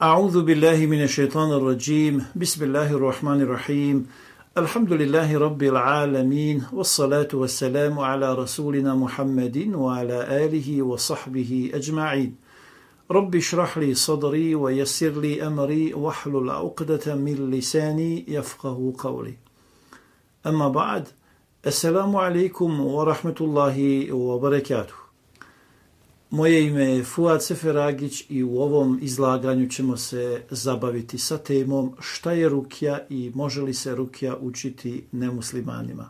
أعوذ بالله من الشيطان الرجيم بسم الله الرحمن الرحيم الحمد لله رب العالمين والصلاة والسلام على رسولنا محمد وعلى آله وصحبه أجمعين رب اشرح لي صدري ويسر لي أمري واحلل عقدة من لساني يفقه قولي أما بعد السلام عليكم ورحمة الله وبركاته. Moje ime je Fuad Seferagić i u ovom izlaganju ćemo se zabaviti sa temom šta je rukja i može li se rukja učiti nemuslimanima.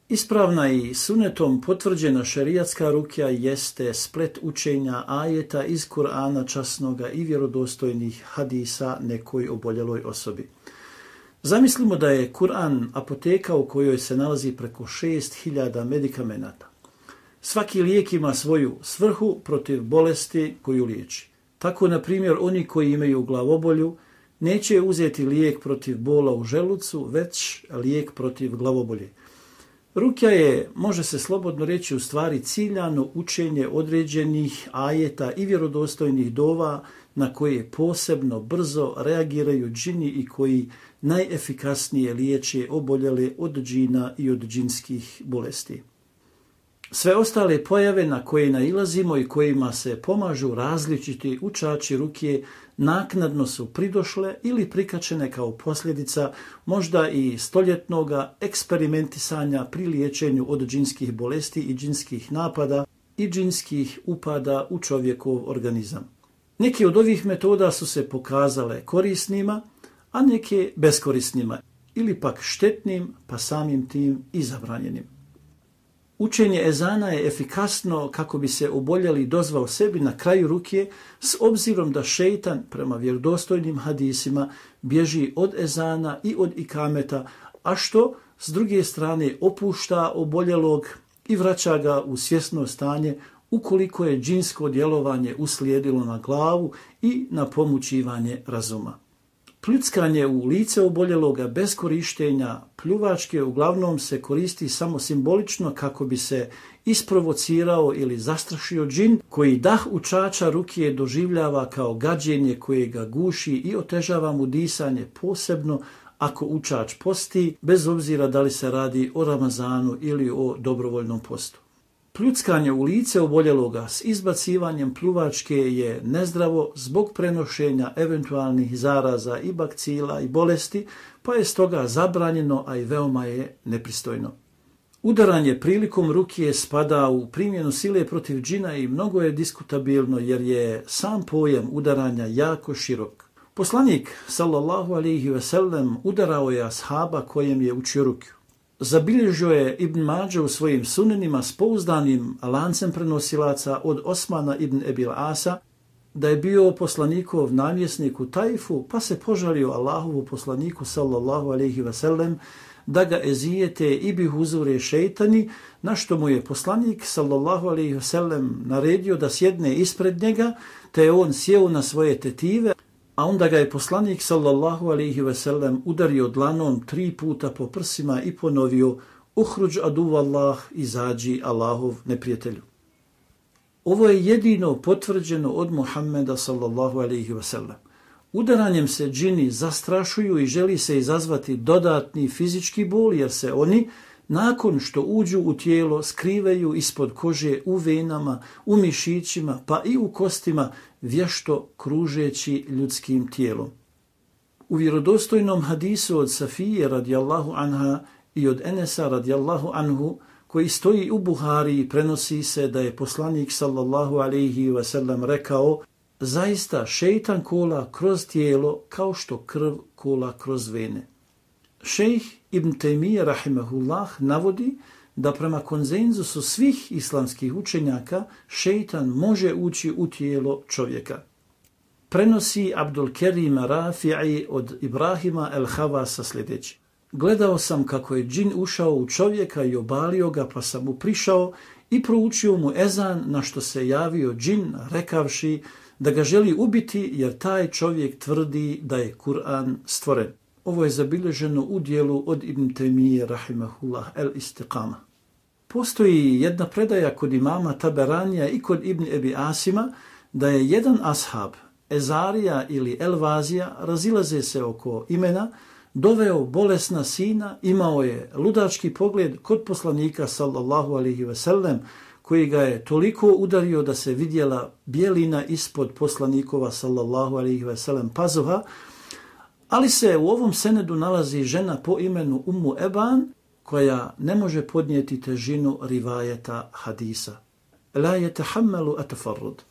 Ispravna i sunetom potvrđena šerijatska rukja jeste splet učenja ajeta iz Kur'ana časnoga i vjerodostojnih hadisa nekoj oboljeloj osobi. Zamislimo da je Kur'an apoteka u kojoj se nalazi preko 6000 medikamenata. Svaki lijek ima svoju svrhu protiv bolesti koju liječi. Tako, na primjer, oni koji imaju glavobolju neće uzeti lijek protiv bola u želucu, već lijek protiv glavobolje. Rukja je, može se slobodno reći, u stvari ciljano učenje određenih ajeta i vjerodostojnih dova na koje posebno brzo reagiraju džini i koji najefikasnije liječe oboljele od džina i od džinskih bolesti. Sve ostale pojave na koje nailazimo i kojima se pomažu različiti učači rukje naknadno su pridošle ili prikačene kao posljedica možda i stoljetnog eksperimentisanja pri liječenju od džinskih bolesti i džinskih napada i džinskih upada u čovjekov organizam. Neke od ovih metoda su se pokazale korisnima, a neke beskorisnima ili pak štetnim, pa samim tim i zabranjenim. Učenje ezana je efikasno kako bi se oboljeli dozvao sebi na kraju rukje, s obzirom da šejtan prema vjerodostojnim hadisima bježi od ezana i od ikameta, a što s druge strane opušta oboljelog i vraća ga u svjesno stanje ukoliko je džinsko djelovanje uslijedilo na glavu i na pomućivanje razuma. Pljuckanje u lice oboljeloga bez korištenja pljuvačke uglavnom se koristi samo simbolično kako bi se isprovocirao ili zastrašio džin koji dah učača rukije doživljava kao gađenje koje ga guši i otežava mu disanje, posebno ako učač posti, bez obzira da li se radi o Ramazanu ili o dobrovoljnom postu. Pljuckanje u lice oboljeloga s izbacivanjem pljuvačke je nezdravo zbog prenošenja eventualnih zaraza i bakcila i bolesti, pa je stoga zabranjeno, a i veoma je nepristojno. Udaranje prilikom rukije spada u primjenu sile protiv džina i mnogo je diskutabilno jer je sam pojam udaranja jako širok. Poslanik sallallahu alejhi ve sellem udarao je ashaba kojem je učio rukju. Zabilježio je Ibn Mađa u svojim sunenima s pouzdanim lancem prenosilaca od Osmana ibn Ebil Asa da je bio poslanikov namjesnik u Tajfu, pa se požalio Allahovu poslaniku sallallahu alejhi ve sellem da ga ezijete i bi huzure šejtani, na što mu je poslanik sallallahu alejhi ve sellem naredio da sjedne ispred njega, te je on sjeo na svoje tetive, a onda ga je poslanik sallallahu alejhi ve sellem udario dlanom 3 puta po prsima i ponovio: Uhruđ aduvallah, izađi Allahov neprijatelju. Ovo je jedino potvrđeno od Muhammeda sallallahu alejhi ve sellem. Udaranjem se džini zastrašuju i želi se izazvati dodatni fizički bol, jer se oni nakon što uđu u tijelo skrivaju ispod kože u venama, u mišićima pa i u kostima, vješto kružeći ljudskim tijelom. U vjerodostojnom hadisu od Safije radijallahu anha i od Enesa radijallahu anhu, koji stoji u Buhari, prenosi se da je poslanik sallallahu alejhi ve sellem rekao: zaista šejtan kola kroz tijelo kao što krv kola kroz vene. Šejh Ibn Tejmije rahimehullah navodi da prema konsenzusu svih islamskih učenjaka šejtan može ući u tijelo čovjeka. Prenosi Abdul Kerim Rafi'i od Ibrahima el-Havasa sljedeći: gledao sam kako je džin ušao u čovjeka i obalio ga, pa sam mu prišao i proučio mu ezan, na što se javio džin rekavši da ga želi ubiti jer taj čovjek tvrdi da je Kur'an stvoren. Ovo je zabilježeno u dijelu od Ibn Tejmije rahimahullah el-Istiqama. Postoji jedna predaja kod imama Taberanija i kod Ibn Ebi Asima da je jedan ashab Ezarija ili Elvazija razilaze se oko imena, doveo bolesna sina, imao je ludački pogled kod poslanika sallallahu alejhi ve sellem, koji ga je toliko udario da se vidjela bijelina ispod poslanikova sallallahu alejhi ve sellem pazuha, ali se u ovom senedu nalazi žena po imenu Ummu Eban, koja ne može podnijeti težinu rivajeta hadisa. La yatahammalu atafarrud.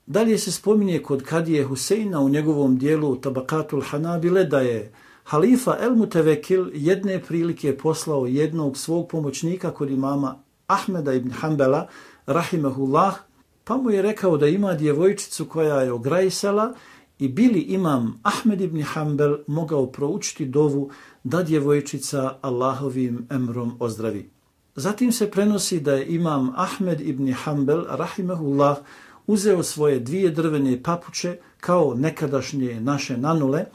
Dalje se spominje kod Kadije Huseina u njegovom dijelu Tabakatul Hanabile da je halifa El Mutevekil jedne prilike poslao jednog svog pomoćnika kod imama Ahmeda ibn Hanbala, rahimahullah, pa mu je rekao da ima djevojčicu koja je ograjsala i bili imam Ahmed ibn Hanbal mogao proučiti dovu da djevojčica Allahovim emrom ozdravi. Zatim se prenosi da je imam Ahmed ibn Hanbal, rahimahullah, uzeo svoje 2 drvene papuče kao nekadašnje naše nanule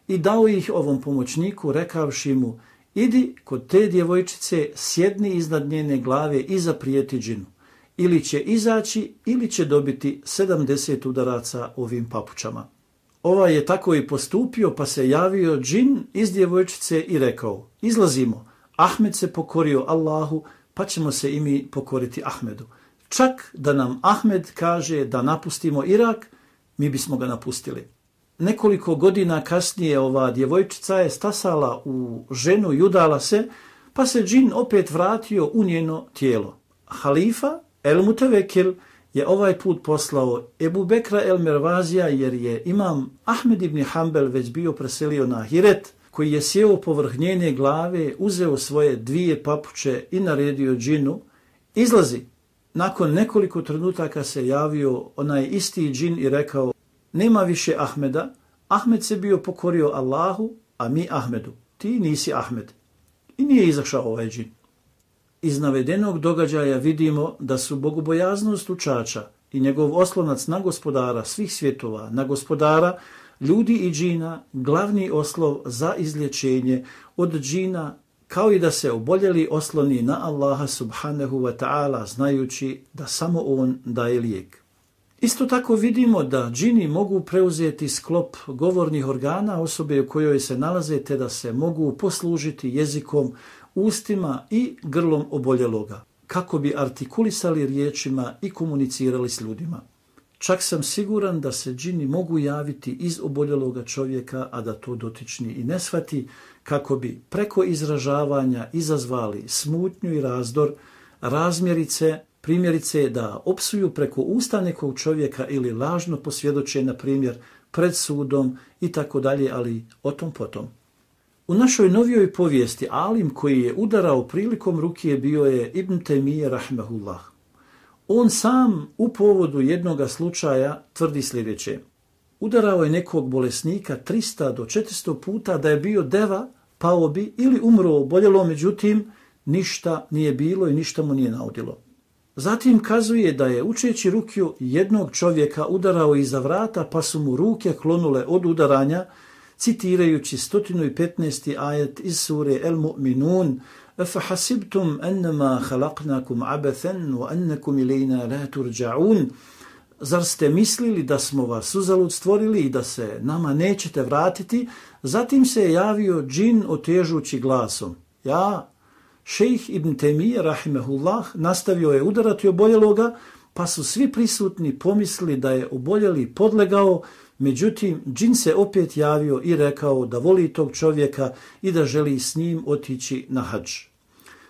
i dao ih ovom pomoćniku rekavši mu: idi kod te djevojčice, sjedni iznad njene glave i zaprijeti džinu. Ili će izaći ili će dobiti 70 udaraca ovim papučama. Ovaj je tako i postupio, pa se javio džin iz djevojčice i rekao: izlazimo, Ahmed se pokorio Allahu, pa ćemo se i mi pokoriti Ahmedu. Čak da nam Ahmed kaže da napustimo Irak, mi bismo ga napustili. Nekoliko godina kasnije ova djevojčica je stasala u ženu i udala se, pa se džin opet vratio u njeno tijelo. Halifa El Mutevekil je ovaj put poslao Ebu Bekra El Mervazija, jer je imam Ahmed ibn Hanbal već bio preselio na Ahiret, koji je sjeo povrh njene glave, uzeo svoje 2 papuče i naredio džinu: izlazi. Nakon nekoliko trenutaka se javio onaj isti džin i rekao: nema više Ahmeda, Ahmed se bio pokorio Allahu, a mi Ahmedu, ti nisi Ahmed. I nije izašao ovaj džin. Iz navedenog događaja vidimo da su bogobojaznost učača i njegov oslonac na gospodara svih svjetova, na gospodara ljudi i džina, glavni oslov za izlječenje od džina, kao i da se oboljeli osloni na Allaha subhanahu wa ta'ala, znajući da samo on daje lijek. Isto tako vidimo da džini mogu preuzeti sklop govornih organa osobe u kojoj se nalaze, te da se mogu poslužiti jezikom, ustima i grlom oboljeloga, kako bi artikulisali riječima i komunicirali s ljudima. Čak sam siguran da se džini mogu javiti iz oboljeloga čovjeka, a da to dotični i ne shvati, kako bi preko izražavanja izazvali smutnju i razdor, razmjerice, primjerice da opsuju preko usta nekog čovjeka ili lažno posvjedoče, na primjer, pred sudom i tako dalje, ali o tom potom. U našoj novijoj povijesti alim koji je udarao prilikom rukije bio je Ibn Taymije rahimahullah. On sam u povodu jednoga slučaja tvrdi sljedeće: udarao je nekog bolesnika 300 do 400 puta, da je bio deva, pao bi ili umro oboljelo, međutim ništa nije bilo i ništa mu nije naudilo. Zatim kazuje da je učeći rukiju jednog čovjeka udarao iza vrata, pa su mu ruke klonule od udaranja, citirajući 115. ajet iz sure El Mu'minun: فَحَسِبْتُمْ أَنَّمَا خَلَقْنَاكُمْ عَبَثًا وَأَنَّكُمْ إِلَيْنَا لَا تُرْجَعُونَ. Zar ste mislili da smo vas uzalud stvorili i da se nama nećete vratiti? Zatim se je javio džin otežući glasom: ja, šejh Ibn Taymije rahimehullah, nastavio je udarati oboljeloga, pa su svi prisutni pomislili da je oboljeli podlegao. Međutim, džin se opet javio i rekao da voli tog čovjeka i da želi s njim otići na hadž.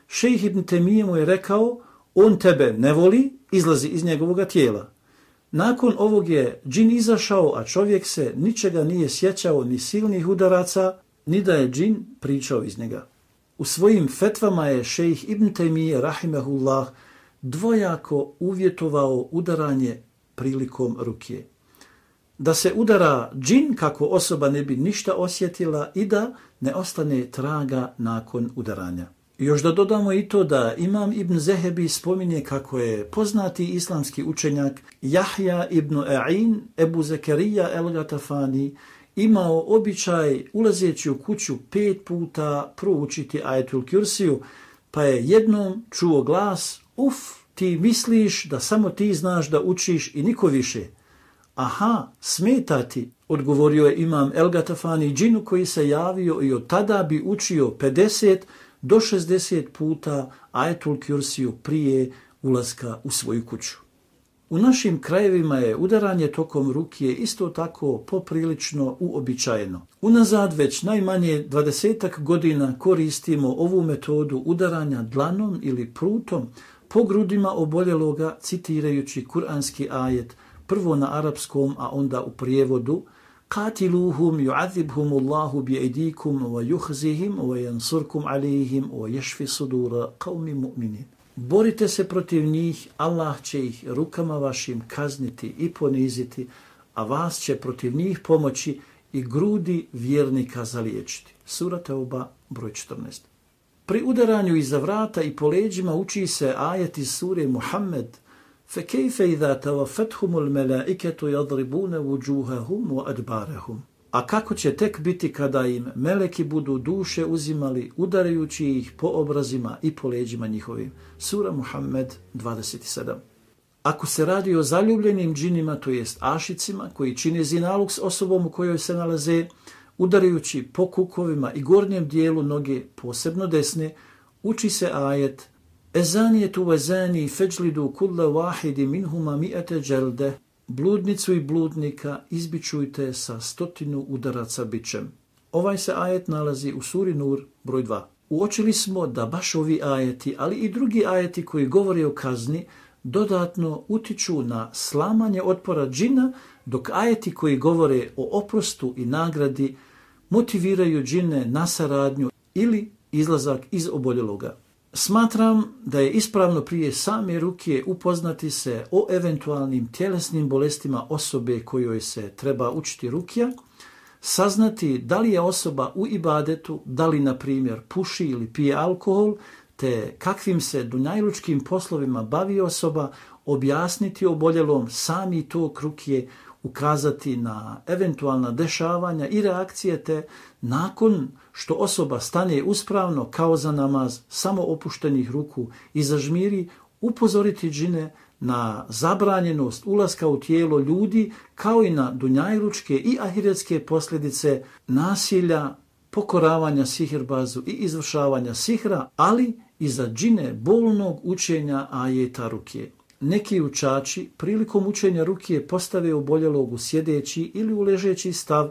Šejh Ibn Taymije mu je rekao: on tebe ne voli, izlazi iz njegovog tijela. Nakon ovog je džin izašao, a čovjek se ničega nije sjećao, ni silnih udaraca, ni da je džin pričao iz njega. U svojim fetvama je šejh Ibn Taymije rahimehullah dvojako uvjetovao udaranje prilikom rukije: da se udara džin kako osoba ne bi ništa osjetila i da ne ostane traga nakon udaranja. Još da dodamo i to da imam Ibn Zehebi spominje kako je poznati islamski učenjak Jahja ibn A'in Ebu Zekerija el-Gatafani imao običaj, ulazeći u kuću, 5 puta proučiti ajetul Kursiju, pa je jednom čuo glas: uf, ti misliš da samo ti znaš da učiš i niko više. Aha, smeta ti, odgovorio je imam El Gatafani džinu koji se javio i od tada bi učio 50 do 60 puta Ajetul Kursiju prije ulaska u svoju kuću. U našim krajevima je udaranje tokom rukije isto tako poprilično uobičajeno. Unazad već najmanje 20 godina koristimo ovu metodu udaranja dlanom ili prutom po grudima oboljeloga citirajući kuranski ajet, prvo na arapskom, a onda u prijevodu Qatiluhum yu'adhibhumullahu bi'aydikum wa yukhzihim wa yansurkum alayhim wa yashfi sudura qaumin mu'minin. Borite se protiv njih, Allah će ih rukama vašim kazniti i poniziti, a vas će protiv njih pomoći i grudi vjernika zaliječiti. Sura Teuba, broj 14. Pri udaranju iza vrata i po leđima uči se ajet iz sure Muhammed فَكَيْفَ إِذَا تَوَفَتْهُمُ الْمَلَائِكَةُ يَضْرِبُونَ وُجُوهَهُمْ وَأَدْبَارَهُمْ. A kako će tek biti kada im meleki budu duše uzimali, udarajući ih po obrazima i po leđima njihovim. Sura Muhammed 27. Ako se radi o zaljubljenim džinima, to jest ašicima, koji čine zinaluk s osobom u kojoj se nalaze, udarajući po kukovima i gornjem dijelu noge, posebno desne, uči se ajet Ezanijetu vezani feđlidu kulle wahidi minhuma mi'ate dželde. Bludnicu i bludnika izbičujte sa 100 udaraca bičem. Ovaj se ajet nalazi u suri Nur, broj 2. Uočili smo da baš ovi ajeti, ali i drugi ajeti koji govore o kazni, dodatno utiču na slamanje otpora džina, dok ajeti koji govore o oprostu i nagradi motiviraju džine na saradnju ili izlazak iz oboljeloga. Smatram da je ispravno prije same rukije upoznati se o eventualnim tjelesnim bolestima osobe kojoj se treba učiti rukija, saznati da li je osoba u ibadetu, da li, na primjer, puši ili pije alkohol, te kakvim se dunjajlučkim poslovima bavi osoba, objasniti oboljelom sami tok rukije, ukazati na eventualna dešavanja i reakcije, te nakon što osoba stane uspravno kao za namaz, samo opuštenih ruku i zažmiri, upozoriti džine na zabranjenost ulaska u tijelo ljudi, kao i na dunjajlučke i ahiretske posljedice nasilja, pokoravanja sihirbazu i izvršavanja sihra, ali i za džine bolnog učenja ajeta rukije. Neki učači prilikom učenja rukije postave oboljelog u sjedeći ili u ležeći stav,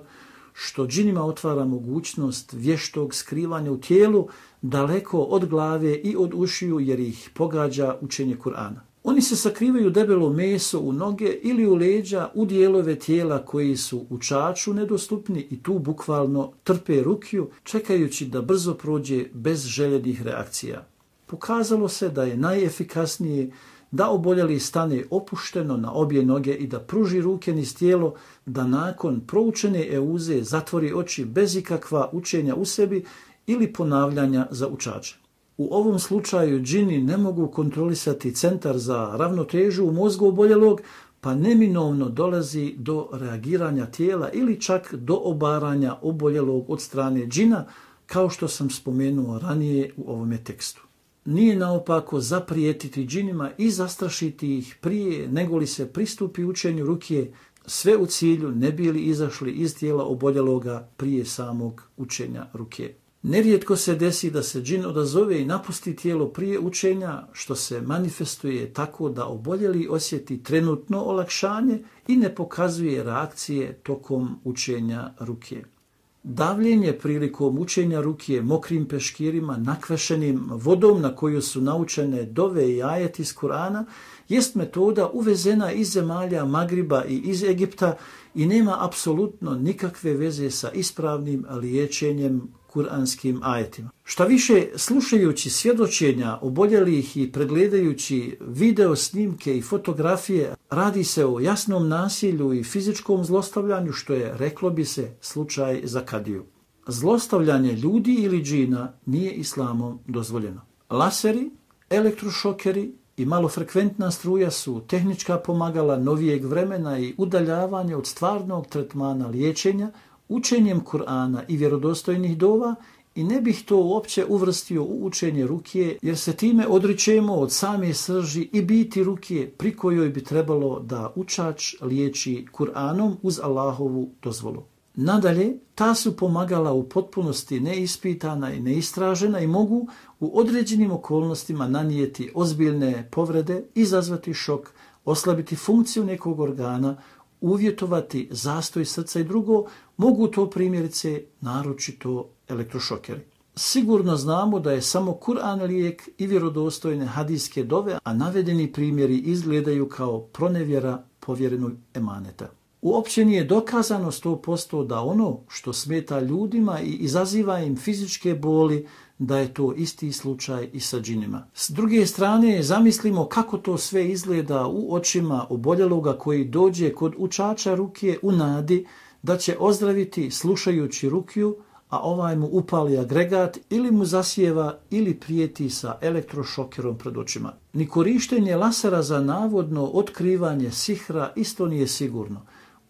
što džinima otvara mogućnost vještog skrivanja u tijelu daleko od glave i od ušiju, jer ih pogađa učenje Kur'ana. Oni se sakrivaju debelo meso u noge ili u leđa, u dijelove tijela koji su učaču nedostupni, i tu bukvalno trpe rukiju, čekajući da brzo prođe bez željenih reakcija. Pokazalo se da je najefikasnije da oboljeli stane opušteno na obje noge i da pruži ruke niz tijelo, da nakon proučene euze zatvori oči bez ikakva učenja u sebi ili ponavljanja za učače. U ovom slučaju džini ne mogu kontrolisati centar za ravnotežu u mozgu oboljelog, pa neminovno dolazi do reagiranja tijela ili čak do obaranja oboljelog od strane džina, kao što sam spomenuo ranije u ovome tekstu. Nije naopako zaprijetiti džinima i zastrašiti ih prije nego li se pristupi učenju rukije, sve u cilju ne bili izašli iz tijela oboljeloga prije samog učenja rukije. Nerijetko se desi da se džin odazove i napusti tijelo prije učenja, što se manifestuje tako da oboljeli osjeti trenutno olakšanje i ne pokazuje reakcije tokom učenja rukije. Davljenje prilikom učenja rukije mokrim peškirima nakvešenim vodom na koju su naučene dove i ajeti iz Kur'ana jest metoda uvezena iz zemalja Magriba i iz Egipta i nema apsolutno nikakve veze sa ispravnim liječenjem kuranskim ajetima. Šta više, slušajući svjedočenja oboljelih i pregledajući video snimke i fotografije, radi se o jasnom nasilju i fizičkom zlostavljanju, što je, reklo bi se, slučaj za kadiju. Zlostavljanje ljudi ili džina nije islamom dozvoljeno. Laseri, elektrošokeri i malofrekventna struja su tehnička pomagala novijeg vremena i udaljavanje od stvarnog tretmana liječenja učenjem Kur'ana i vjerodostojnih dova i ne bih to uopće uvrstio u učenje rukije, jer se time odričemo od same srži i biti rukije pri kojoj bi trebalo da učač liječi Kur'anom uz Allahovu dozvolu. Nadalje, ta su pomagala u potpunosti neispitana i neistražena i mogu u određenim okolnostima nanijeti ozbiljne povrede, izazvati šok, oslabiti funkciju nekog organa, uvjetovati zastoj srca i drugo, mogu to primjerice naročito elektrošokeri. Sigurno znamo da je samo Kur'an lijek i vjerodostojne hadijske dove, a navedeni primjeri izgledaju kao pronevjera povjerenog emaneta. Uopće nije dokazano 100% da ono što smeta ljudima i izaziva im fizičke boli, da je to isti slučaj i sa džinima. S druge strane, zamislimo kako to sve izgleda u očima oboljeloga koji dođe kod učača rukije u nadi da će ozdraviti slušajući rukiju, a ovaj mu upali agregat ili mu zasijeva ili prijeti sa elektrošokerom pred očima. Ni korištenje lasera za navodno otkrivanje sihra isto nije sigurno.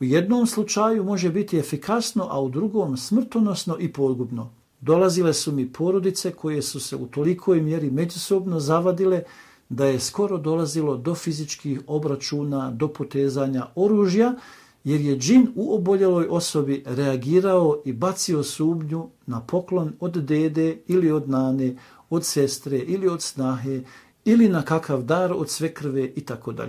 U jednom slučaju može biti efikasno, a u drugom smrtonosno i pogubno. Dolazile su mi porodice koje su se u tolikoj mjeri međusobno zavadile da je skoro dolazilo do fizičkih obračuna, do potezanja oružja, jer je džin u oboljeloj osobi reagirao i bacio sumnju na poklon od dede ili od nane, od sestre ili od snahe ili na kakav dar od svekrve itd.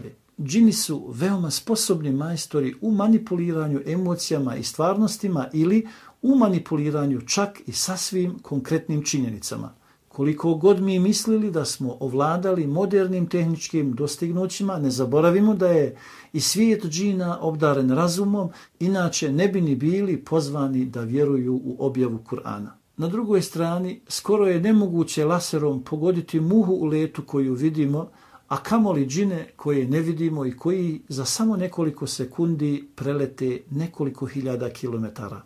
Džini su veoma sposobni majstori u manipuliranju emocijama i stvarnostima ili u manipuliranju čak i sasvim konkretnim činjenicama. Koliko god mi mislili da smo ovladali modernim tehničkim dostignućima, ne zaboravimo da je i svijet džina obdaren razumom, inače ne bi ni bili pozvani da vjeruju u objavu Kur'ana. Na drugoj strani, skoro je nemoguće laserom pogoditi muhu u letu koju vidimo, a kamoli džine koje ne vidimo i koji za samo nekoliko sekundi prelete nekoliko hiljada kilometara.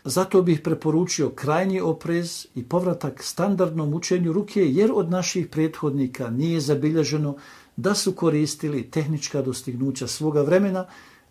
Zato bih preporučio krajnji oprez i povratak standardnom učenju rukije, jer od naših prethodnika nije zabilježeno da su koristili tehnička dostignuća svoga vremena,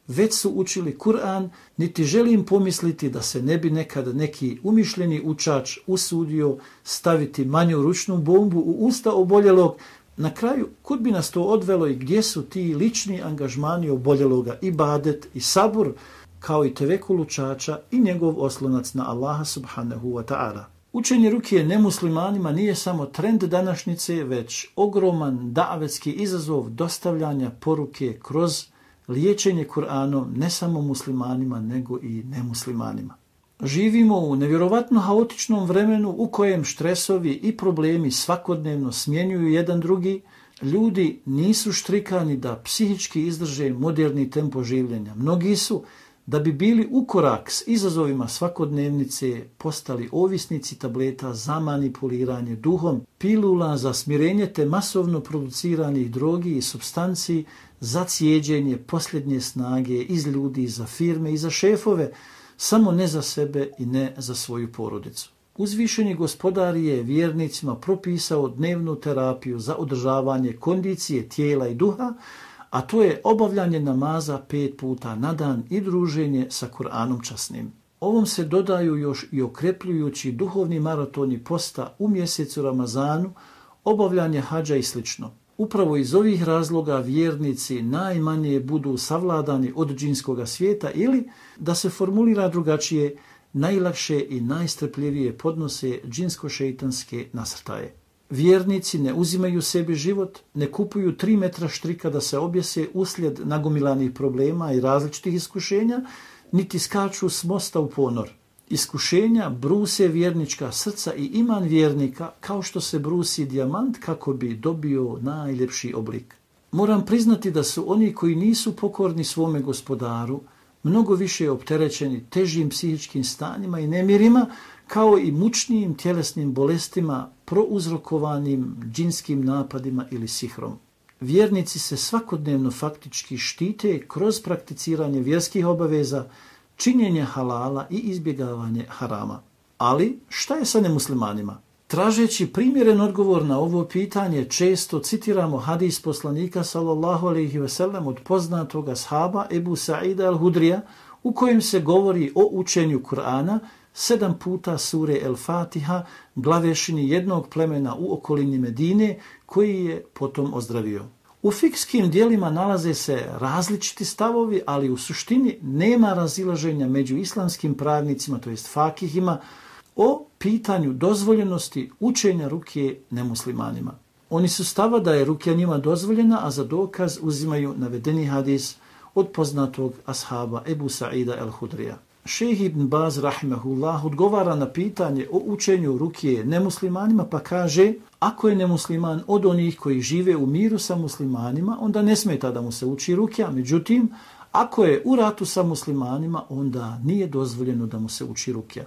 već su učili Kur'an, niti želim pomisliti da se ne bi nekad neki umišljeni učač usudio staviti manju ručnu bombu u usta oboljelog. Na kraju, kud bi nas to odvelo i gdje su ti lični angažmani oboljeloga, ibadet i sabur, kao i tevekul učača i njegov oslonac na Allaha subhanahu wa ta'ala. Učenje rukije nemuslimanima nije samo trend današnjice, već ogroman davetski izazov dostavljanja poruke kroz liječenje Kur'anom ne samo muslimanima, nego i nemuslimanima. Živimo u nevjerovatno haotičnom vremenu u kojem štresovi i problemi svakodnevno smjenjuju jedan drugi. Ljudi nisu štrikani da psihički izdrže moderni tempo življenja. Mnogi su, da bi bili u korak s izazovima svakodnevnice, postali ovisnici tableta za manipuliranje duhom, pilula za smirenje te masovno produciranih drogi i supstanci za cijeđenje posljednje snage iz ljudi, za firme i za šefove, samo ne za sebe i ne za svoju porodicu. Uzvišeni gospodar je vjernicima propisao dnevnu terapiju za održavanje kondicije tijela i duha, a to je obavljanje namaza 5 puta na dan i druženje sa Kur'anom časnim. Ovom se dodaju još i okrepljujući duhovni maratoni posta u mjesecu Ramazanu, obavljanje hadža i sl. Upravo iz ovih razloga vjernici najmanje budu savladani od džinskoga svijeta ili, da se formulira drugačije, najlakše i najstrpljivije podnose džinsko-šeitanske nasrtaje. Vjernici ne uzimaju sebi život, ne kupuju 3 metra štrika da se objese uslijed nagomilanih problema i različitih iskušenja, niti skaču s mosta u ponor. Iskušenja bruse vjernička srca i iman vjernika kao što se brusi dijamant kako bi dobio najljepši oblik. Moram priznati da su oni koji nisu pokorni svome gospodaru mnogo više opterećeni težim psihičkim stanjima i nemirima, kao i mučnijim tjelesnim bolestima prouzrokovanim džinskim napadima ili sihrom. Vjernici se svakodnevno faktički štite kroz prakticiranje vjerskih obaveza, činjenje halala i izbjegavanje harama. Ali šta je sa nemuslimanima? Tražeći primjeren odgovor na ovo pitanje, često citiramo hadis poslanika sallallahu alejhi ve sellem od poznatog ashaba Ebu Sa'ida al-Hudrija, u kojem se govori o učenju Kur'ana 7 puta sure El Fatiha glavešini jednog plemena u okolini Medine koji je potom ozdravio. U fikskim dijelima nalaze se različiti stavovi, ali u suštini nema razilaženja među islamskim pravnicima, to jest fakihima, o pitanju dozvoljenosti učenja rukije nemuslimanima. Oni su stava da je rukija njima dozvoljena, a za dokaz uzimaju navedeni hadis od poznatog ashaba Ebu Sa'ida el-Hudrija. Šejh Ibn Baz rahimehullah odgovara na pitanje o učenju rukije nemuslimanima pa kaže: ako je nemusliman od onih koji žive u miru sa muslimanima, onda ne smeta da mu se uči rukija. Međutim, ako je u ratu sa muslimanima, onda nije dozvoljeno da mu se uči rukija.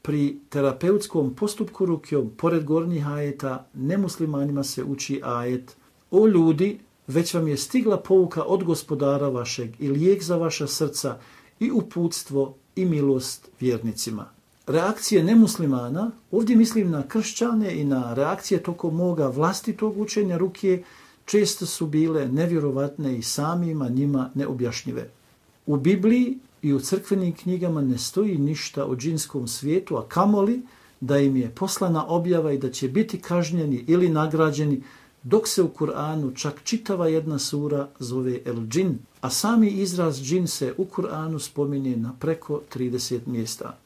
Pri terapeutskom postupku rukijom, pored gornjih ajeta, nemuslimanima se uči ajet: o ljudi, već vam je stigla pouka od gospodara vašeg i lijek za vaša srca i uputstvo i milost vjernicima. Reakcije nemuslimana, ovdje mislim na kršćane i na reakcije tokom moga vlastitog učenja rukije, često su bile nevjerovatne i samima njima neobjašnjive. U Bibliji i u crkvenim knjigama ne stoji ništa o džinskom svijetu, a kamoli da im je poslana objava i da će biti kažnjeni ili nagrađeni, dok se u Kur'anu čak čitava jedna sura zove El Džin, a sami izraz džin se u Kur'anu spominje na preko 30 mjesta.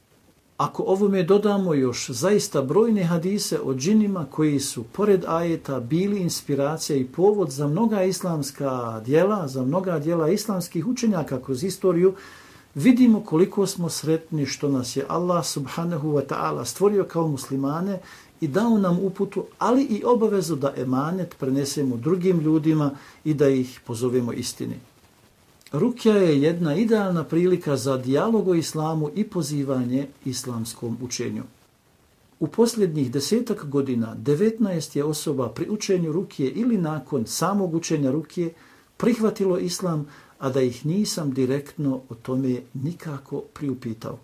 Ako ovome dodamo još zaista brojne hadise o džinima koji su pored ajeta bili inspiracija i povod za mnoga islamska djela, za mnoga djela islamskih učenjaka kroz istoriju, vidimo koliko smo sretni što nas je Allah subhanahu wa ta'ala stvorio kao muslimane i dao nam uputu, ali i obavezu da emanet prenesemo drugim ljudima i da ih pozovemo istini. Rukija je jedna idealna prilika za dijalog o islamu i pozivanje islamskom učenju. U posljednjih 10 godina 19 je osoba pri učenju rukije ili nakon samog učenja rukije prihvatilo islam, a da ih nisam direktno o tome nikako priupitao.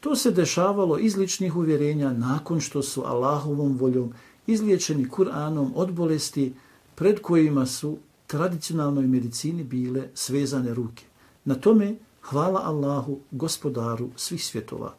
To se dešavalo iz ličnih uvjerenja nakon što su Allahovom voljom izliječeni Kur'anom od bolesti pred kojima su tradicionalnoj medicini bile svezane ruke. Na tome hvala Allahu, gospodaru svih svjetova.